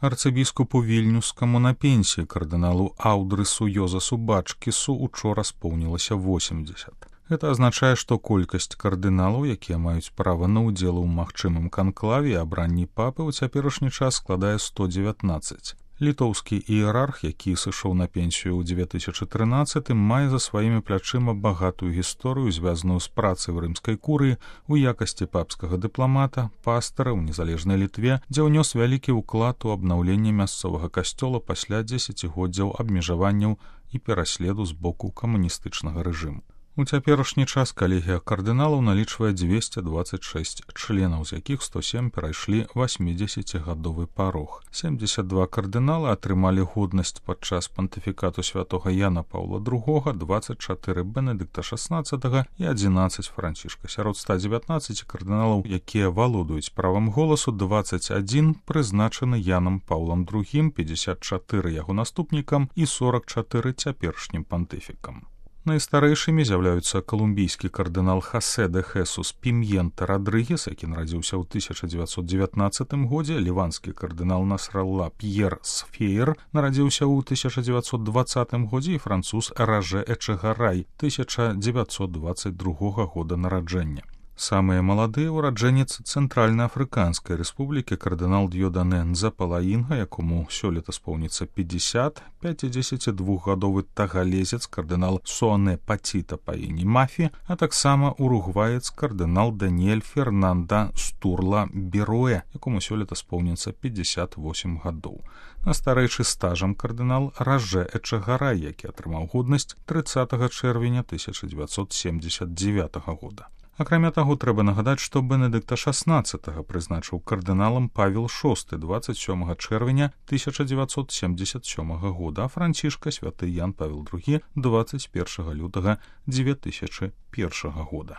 Арцыбіскупу вільнюскаму на пенсіі кардыналу Аўдрысу Йозасу Бачкісу учора споўнілася 80. Гэта азначае, што колькасць кардыналаў, якія маюць права на ўдзел у магчымым канклаве і абранні папы ў цяперашні час складае 119. Літоўскі іерарх, які сышоў на пенсію ў 2013, мае за сваімі плячыма багатую гісторыю, звязаную з працай у рымскай курыі у якасці папскага дыпламата, пастара ў незалежнай Літве, дзе ўнёс вялікі ўклад у абнаўленне мясцовага касцёла пасля дзесяцігоддзяў абмежаванняў і пераследу з боку камуністычнага рэжыму. У цяперашні час калегія кардыналаў налічвае 226 членаў, з якіх 107 перайшлі 80-гадовы парог. 72 кардынала атрымалі годнасць падчас пантыфікату святога Яна Паўла II, 24 Бенедыкта XVI і 11 Францішка. Сярод 119 кардыналаў, якія валодаюць правам голасу, 21 прызначаны Янам Паўлам II, 54 яго наступнікам і 44 цяперашнім пантыфікам. Найстарэйшымі з'яўляюцца калумбійскі кардынал Хасе де Хесус Пім'ента Радрыгес, які нарадзіўся ў 1919 годзе, ліванскі кардынал Насралла П'ер Сфеер нарадзіўся ў 1920 годзе і француз Ражэ Эчэгарай 1922 года нараджэння. Самыя маладыя ўраджэнец Цэнтральна-Афрыканскай рэспублікі кардынал Д'ёдане Нзапалаінга, якому сёлета споўніцца 50, 52-гадовы тагалезец кардынал Суане Паціта па імені Мафі, а таксама уругваец кардынал Даніэль Фернанда Стурла Беруэ, якому сёлета споўніцца 58 гадоў. Настарэйшы стажам кардынал Ражэ Эчэгарай, які атрымаў годнасць 30 чэрвеня 1979 года. Акрамя таго, трэба нагадаць, што Бенедыкта XVI прызначыў кардыналам Павел VI 27 чэрвеня 1977 года, а Францішка святы Ян Павел II 21 лютага 2001 года.